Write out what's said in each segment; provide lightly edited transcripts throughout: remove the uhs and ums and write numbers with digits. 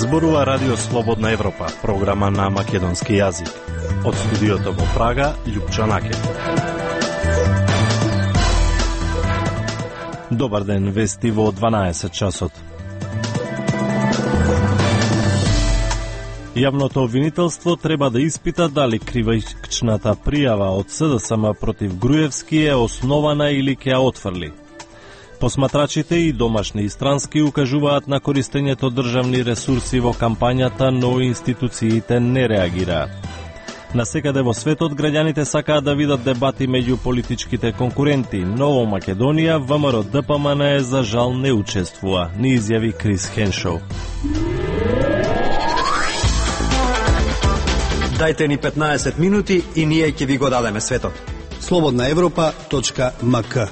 Зборува Радио Слободна Европа, програма на македонски јазик. Од студиото во Прага, Љупчо Накев. Добар ден, вести во 12 часот. Јавното обвинителство треба да испита дали кривичната пријава од СДСМ против Груевски е основана или ќе ја отфрли. Посматрачите и домашни и странски укажуваат на користењето државни ресурси во кампањата, но институциите не реагираат. Насекаде во светот граѓаните сакаат да видат дебати меѓу политичките конкуренти, но во Македонија ВМРО-ДПМН за жал не учествува, ни изјави Крис Хеншоу. Дајте ни 15 минути и ние ќе ви го дадеме светот. slobodnaevropa.mk.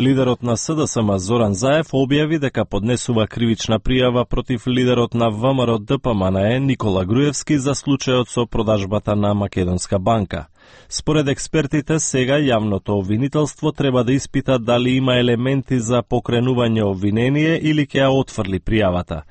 Лидерот на СДСМ Зоран Заев објави дека поднесува кривична пријава против лидерот на ВМРО-ДПМН Никола Груевски за случајот со продажбата на Македонска банка. Според експертите, сега јавното обвинителство треба да испита дали има елементи за покренување обвинение или ќе ја отфрли пријавата.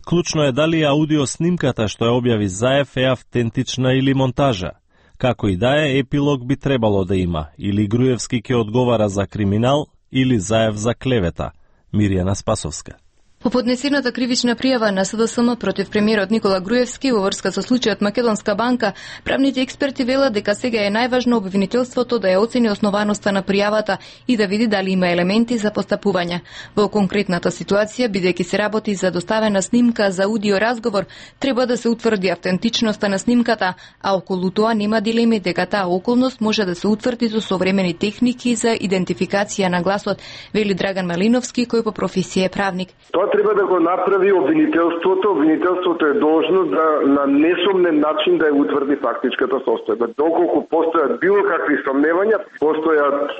Клучно е дали аудиоснимката што ја објави Заев е автентична или монтажа. Како и да е, епилог би требало да има, или Груевски ќе одговара за криминал, или Заев за клевета. Миријана Спасовска. По поднесената кривична пријава на СДСМ против премиерот Никола Груевски во врска со случајот Македонска банка, правните експерти велат дека сега е најважно обвинителството да ја оцени основаноста на пријавата и да види дали има елементи за постапување. Во конкретната ситуација, бидејќи се работи за доставена снимка за аудио разговор, треба да се утврди автентичноста на снимката, а околу тоа нема дилеми дека таа околност може да се утврди со современи техники за идентификација на гласот, вели Драган Малиновски, кој по професија е правник. Треба да го направи обвинителството. Обвинителството е должно да на несомнен начин да ја утврди фактичката состојба. Доколку постојат било какви сомневања, постојат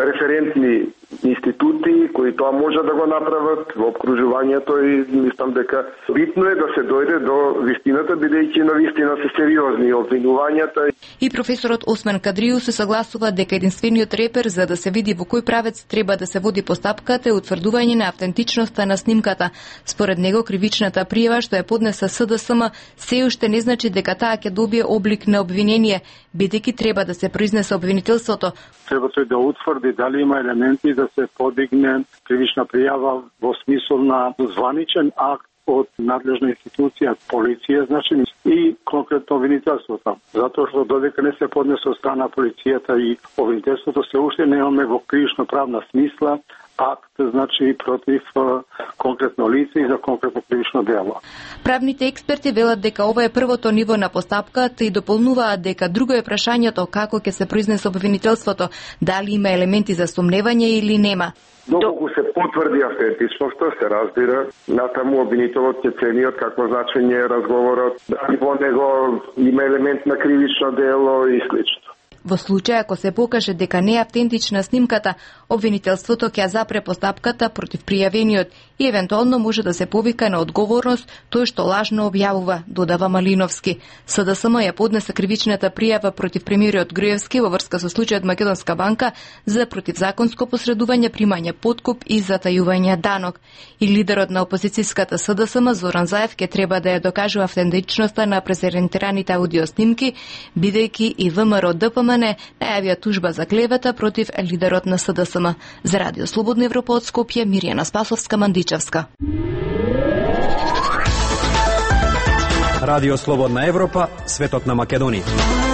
референтни институти кои тоа може да го направат во обкружувањето и мислам дека битно е да се дојде до вистината, бидејќи на вистина се сериозни обвинувањата. И професорот Осман Кадрију се согласува дека единствениот репер за да се види во кој правец треба да се води постапката е утврдување на автентичноста на снимката. Според него, кривичната пријава што ја поднесе СДСМ се уште не значи дека таа ќе добие облик на обвинение, бидејќи треба да се произнесе обвинителството. Треба тој да утврди дали има елементи да се подигне кривична пријава во смисол на званичен акт од надлежна институција, полиција, значи и конкретно обвинителството. Затоа што додека не се поднесе од страна полицијата и обвинителството, се уште немаме во кривично правна смисла акт, значи против конкретно лице и за конкретно кривично дело. Правните експерти велат дека ова е првото ниво на постапката и дополнуваат дека друго е прашањето како ќе се произнесе обвинителството, дали има елементи за сомневање или нема. Доколку се потврди автентичноста, се разбира, натаму обвинителот ќе цени од какво значење е разговорот, дали во него има елемент на кривично дело и слично. Во случај ако се покаже дека не е автентична снимката, обвинителството ќе запре постапката против пријавениот и евентуално може да се повика на одговорност тој што лажно објавува, додава Малиновски. СДСМ ја поднесе кривичната пријава против премиерот Груевски во врска со случајот Македонска банка за противзаконско посредување, примање подкуп и затајување данок. И лидерот на опозицијската СДСМ Зоран Заев ќе треба да ја докажува автентичноста на презентираните аудиоснимки, бидејќи и ВМРО-ДПМН најавија тужба за клевета против лидерот на СДСМ. За Радио Слободна Европа од Скопје, Миријана Спасовска, Мандичевска. Радио Слободна Европа, светот на Македонија.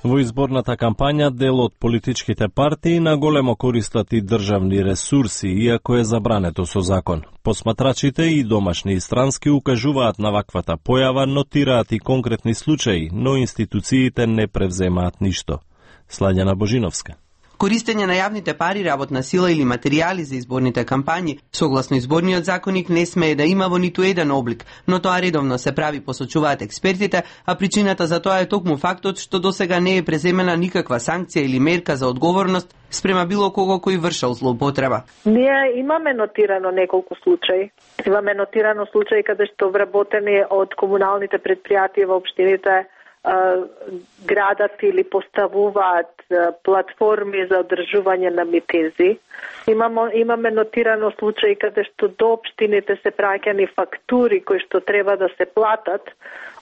Во изборната кампања дел од политичките партии на големо користат и државни ресурси, иако е забрането со закон. Посматрачите и домашни и странски укажуваат на ваквата појава, нотираат и конкретни случаи, но институциите не превземаат ништо. Слаѓана Божиновска. Користење на јавните пари, работна сила или материјали за изборните кампањи, согласно изборниот законник, не смее да има во ниту еден облик, но тоа редовно се прави, посочуваат експертите, а причината за тоа е токму фактот што досега не е преземена никаква санкција или мерка за одговорност спрема било кого кој вршал злоупотреба. Ние имаме нотирано неколку случаи. Имаме нотирано случаи каде што вработени од комуналните предпријатија во општините градат или поставуваат платформи за одржување на митинзи. Имаме нотирано случаи каде што до општините се праќани фактури кои што треба да се платат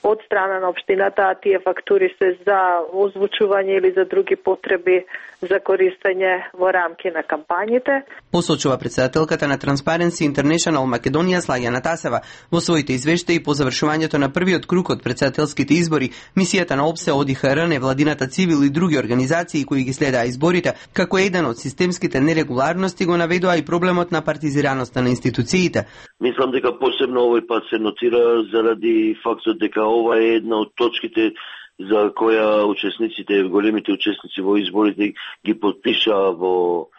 од страна на општината, а тие фактури се за озвучување или за други потреби за користење во рамки на кампањите. Посочува председателката на Transparency International Македонија Слаѓана Тасева. Во своите извештаи по завршувањето на првиот круг од председателските избори, мисијата на ОПСЕ, ОДИХР, невладината цивил и други организации кои ги следаа изборите, како еден од системските нерегуларности го наведоа и проблемот на партизираноста на институциите. Мислам дека посебно овој пат се нотира заради фактот дека ова е една од точките за која учесниците, големите учесници во изборите ги подпишаа во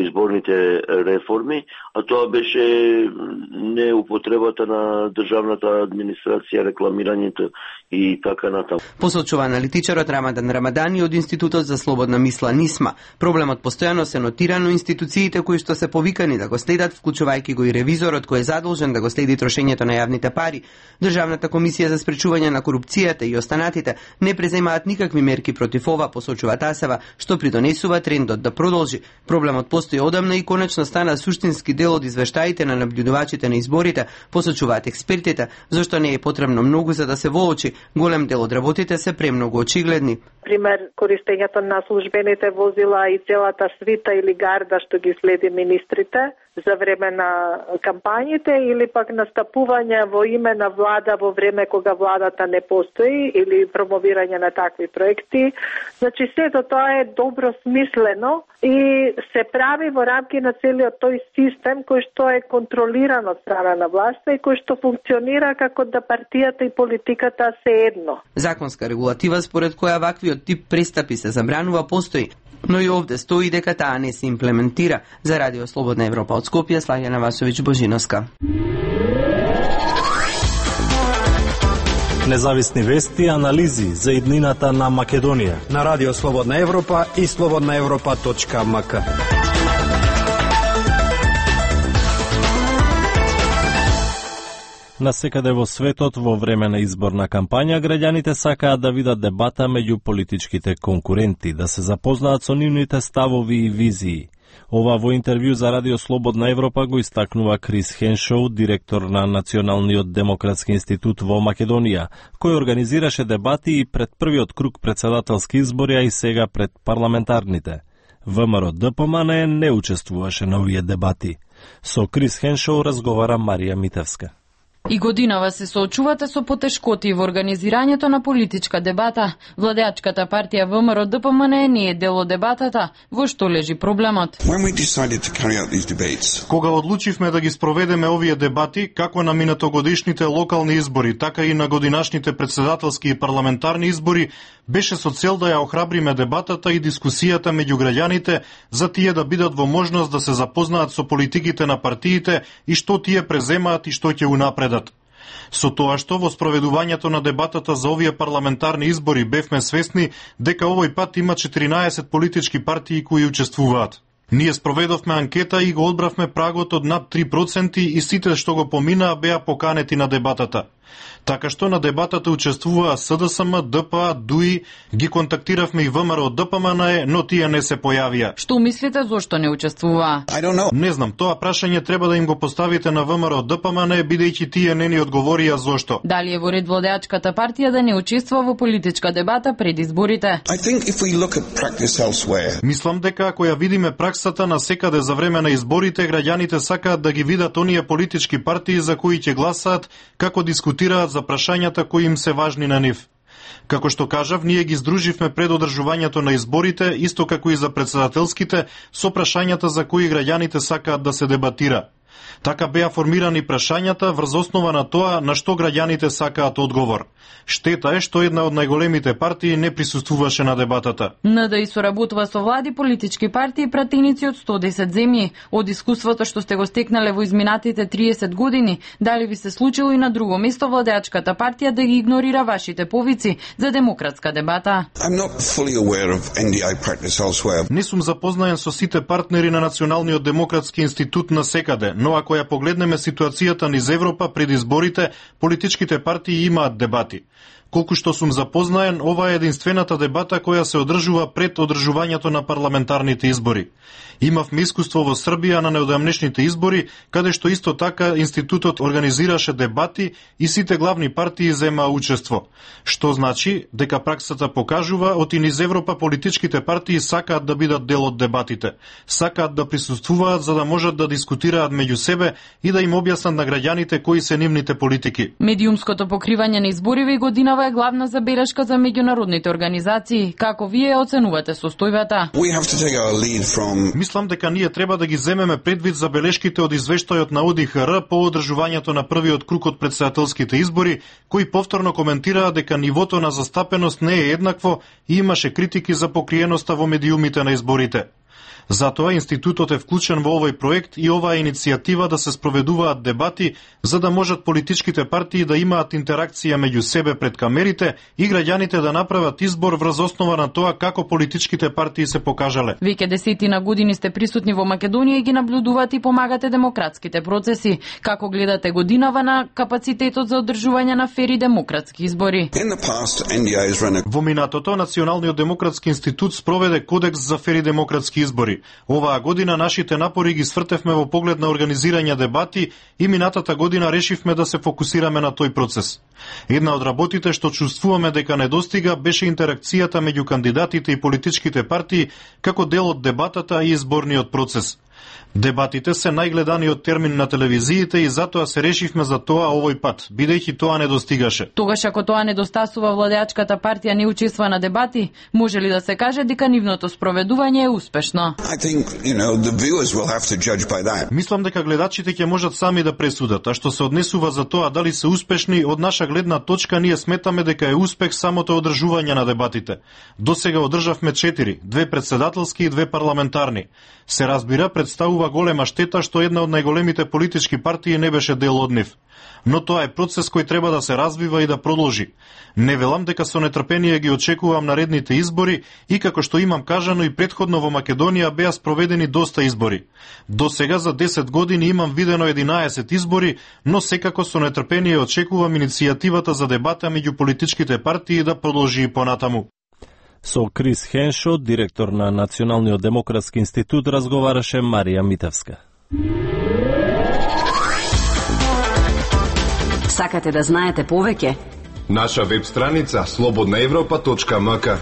изборните реформи, а тоа беше неупотребата на државната администрација, рекламирањето и така натаму. Посочува аналитичарот Рамадан Рамадани од Институтот за слободна мисла НИСМА. Проблемот постојано се нотира, но институциите кои што се повикани да го следат, вклучувајќи го и ревизорот кој е задолжен да го следи трошењето на јавните пари, Државната комисија за спречување на корупцијата и останатите не преземаат никакви мерки против ова, посочува Тасева, што придонесува трендот да продолжи. Проблемот постои одамна и конечно стана суштински дел од извештаите на наблюдувачите на изборите, посочуваат експертите, зашто не е потребно многу за да се воочи. Голем дел од работите се премногу очигледни. Пример, користењето на службените возила и целата свита или гарда што ги следи министрите за време на кампањите или пак настапување во име на влада во време кога владата не постои или промовирање на такви проекти. Значи, сето тоа е добро смислено и се прави во рамки на целиот тој систем кој што е контролиран од страна на власта и кој што функционира како да партијата и политиката се едно. Законска регулатива според која ваквиот тип престапи се забранува постои, но и овде стои дека таа не се имплементира. За Радио Слободна Европа од Скопје, Слаѓана Васовиќ Божиновска. Независни вести и анализи за иднината на Македонија на Радио Слободна Европа и slobodnaevropa.mk. Насекаде во светот во време на изборна кампања граѓаните сакаат да видат дебата меѓу политичките конкуренти, да се запознаат со нивните ставови и визии. Ова во интервју за Радио Слободна Европа го истакнува Крис Хеншоу, директор на Националниот демократски институт во Македонија, кој организираше дебати и пред првиот круг председателски избори, а и сега пред парламентарните. ВМРО ДПМН не учествуваше на овие дебати. Со Крис Хеншоу разговара Марија Митевска. И годинава се соочувате со потешкоти во организирањето на политичка дебата. Владеачката партија ВМРО ДПМН не е дел од дебатата. Во што лежи проблемот? Кога одлучивме да ги спроведеме овие дебати, како на минатогодишните локални избори, така и на годинашните председателски и парламентарни избори, беше со цел да ја охрабриме дебатата и дискусијата меѓу граѓаните за тие да бидат во можност да се запознаат со политиките на партиите и што тие преземаат и што ќе унапредат. Со тоа што во спроведувањето на дебатата за овие парламентарни избори бевме свесни дека овој пат има 14 политички партии кои учествуваат. Ние спроведовме анкета и го одбравме прагот од над 3% и сите што го поминаа беа поканети на дебатата. Така што на дебатата учествуваа СДСМ, ДПА, ДУИ, ги контактиравме и ВМРО ДПМН, но тие не се појавија. Што мислите зошто не учествуваа? Не знам, тоа прашање треба да им го поставите на ВМРО ДПМН, бидејќи тие не ни одговорија зошто. Дали е во ред владеачката партија да не учествува во политичка дебата пред изборите? Мислам дека ако ја видиме праксата на секаде за време на изборите, граѓаните сакаат да ги видат оние политички партии за кои ќе гласаат, како дискутираат за прашањата кои им се важни на нив. Како што кажав, ние ги здруживме пред одржувањето на изборите, исто како и за председателските, со прашањата за кои граѓаните сакаат да се дебатира. Така беа формирани прашањата врз основа на тоа на што граѓаните сакаат одговор. Штета е што една од најголемите партии не присуствуваше на дебатата. НДИ соработува со влади, политички партии и пратеници од 110 земји. Од искуството што сте го стекнале во изминатите 30 години, дали ви се случило и на друго место владеачката партија да ги игнорира вашите повици за демократска дебата? Не сум запознаен со сите партнери на Националниот демократски институт на секаде, но ако ја погледнеме ситуацијата низ Европа пред изборите, политичките партии имаат дебати. Колку што сум запознаен, ова е единствената дебата која се одржува пред одржувањето на парламентарните избори. Имавме искуство во Србија на неодамнешните избори, каде што исто така институтот организираше дебати и сите главни партии земаа учество. Што значи дека праксата покажува од и низ Европа политичките партии сакаат да бидат дел од дебатите, сакаат да присуствуваат за да можат да дискутираат меѓу себе и да им објаснат на граѓаните кои се нивните политики. Медиумското покривање на избориве и годинава е главна забелешка за меѓународните организации. Како вие оценувате состојбата? Мислам дека ние треба да ги земеме предвид забелешките од извештајот на ОДИХР по одржувањето на првиот круг од претседателските избори, кои повторно коментираа дека нивото на застапеност не е еднакво и имаше критики за покриеноста во медиумите на изборите. Затоа институтот е вклучен во овој проект и оваа иницијатива да се спроведуваат дебати за да можат политичките партии да имаат интеракција меѓу себе пред камерите и граѓаните да направат избор врз основа на тоа како политичките партии се покажале. Веќе десетина години сте присутни во Македонија и ги наблюдувате и помагате демократските процеси. Како гледате годинава на капацитетот за одржување на фери демократски избори? Во минатото Националниот демократски институт спроведе кодекс за фери демократски избори. Оваа година нашите напори ги свртевме во поглед на организирање дебати и минатата година решивме да се фокусираме на тој процес. Една од работите што чувствуваме дека недостига беше интеракцијата меѓу кандидатите и политичките партии како дел од дебатата и изборниот процес. Дебатите се најгледаниот термин на телевизиите и затоа се решивме за тоа овој пат, бидејќи тоа недостигаше. Тогаш ако тоа недостасува, владеачката партија не учествува на дебати, може ли да се каже дека нивното спроведување е успешно? Мислам дека гледачите ќе можат сами да пресудат, а што се однесува за тоа дали се успешни, од наша гледна точка ние сметаме дека е успех самото одржување на дебатите. Досега одржавме 4, 2 претседателски и 2 парламентарни. Се разбира, представува голема штета што една од најголемите политички партии не беше дел од нив. Но тоа е процес кој треба да се развива и да продолжи. Не велам дека со нетрпение ги очекувам наредните избори и како што имам кажано и претходно во Македонија беа спроведени доста избори. До сега за 10 години имам видено 11 избори, но секако со нетрпение очекувам иницијативата за дебата меѓу политичките партии да продолжи и понатаму. Со Крис Хеншо, директор на Националниот демократски институт, разговараше Марија Митевска. Сакате да знаете повеќе? Наша веб страница slobodnaevropa.mk.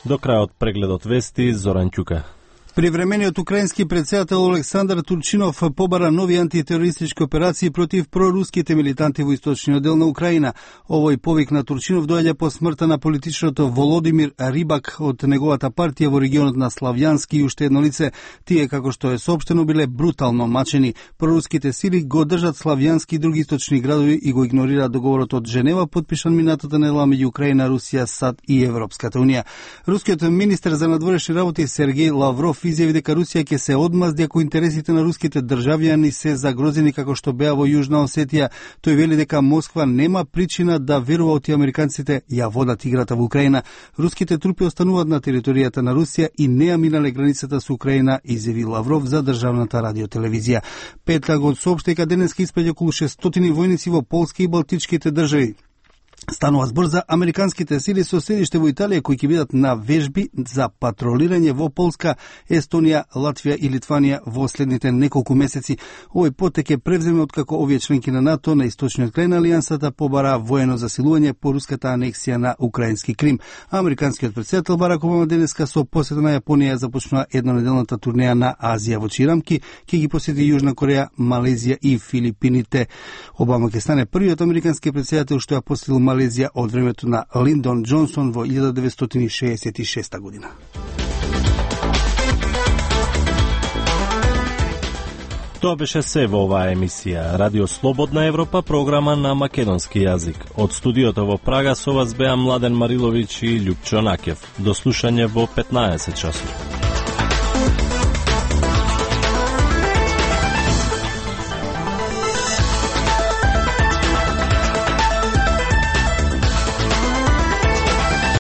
До крајот прегледот вести, Зоран Ќука. Привремениот украински претседател Олександар Турчинов побара нови антитерористички операции против проруските милитанти во источниот дел на Украина. Овој повик на Турчинов доаѓа по смртта на политичарот Володимир Рибак од неговата партија во регионот на Славјански и уште едно лице. Тие, како што е соопштено, биле брутално мачени. Проруските сили го држат Славјански и други источни градови и го игнорираат договорот од Женева, подпишан минатата недела меѓу Украина, Русија, САД и Европската унија. Рускиот министер за надворешни работи Сергеј Лавров изјави дека Русија ќе се одмазди ако интересите на руските државјани се загрозени како што беа во Јужна Осетија. Тој вели дека Москва нема причина да верува оти американците ја водат играта во Украина. Руските трупи остануваат на територијата на Русија и не ја минале границата со Украина, изјави Лавров за државната радиотелевизија. Пентагон соопшти дека денеска испраќа околу 600 војници во Полска и Балтичките држави. Станува збор за американските сили со седиште во Италија кои ќе бидат на вежби за патролирање во Полска, Естонија, Латвија и Литванија во следните неколку месеци. Овој потек е превземе откако овие членки на НАТО на источниот крај на алијансата побара воено засилување по руската анексија на украински Крим. Американскиот претседател Барак Обама денеска со посета на Јапонија започнува еднонеделната турнеја на Азија во Чирамки, ќе ги посети Јужна Кореја, Малезија и Филипините. Обама ќе стане првиот американски претседател што ја посетил Малезија од времето на Линдон Џонсон во 1966 година. Тоа беше се во оваа емисија. Радио Слободна Европа, програма на македонски јазик. Од студиото во Прага со вас беа Младен Мариловиќ и Љупчо Накев. До слушање во 15 часот.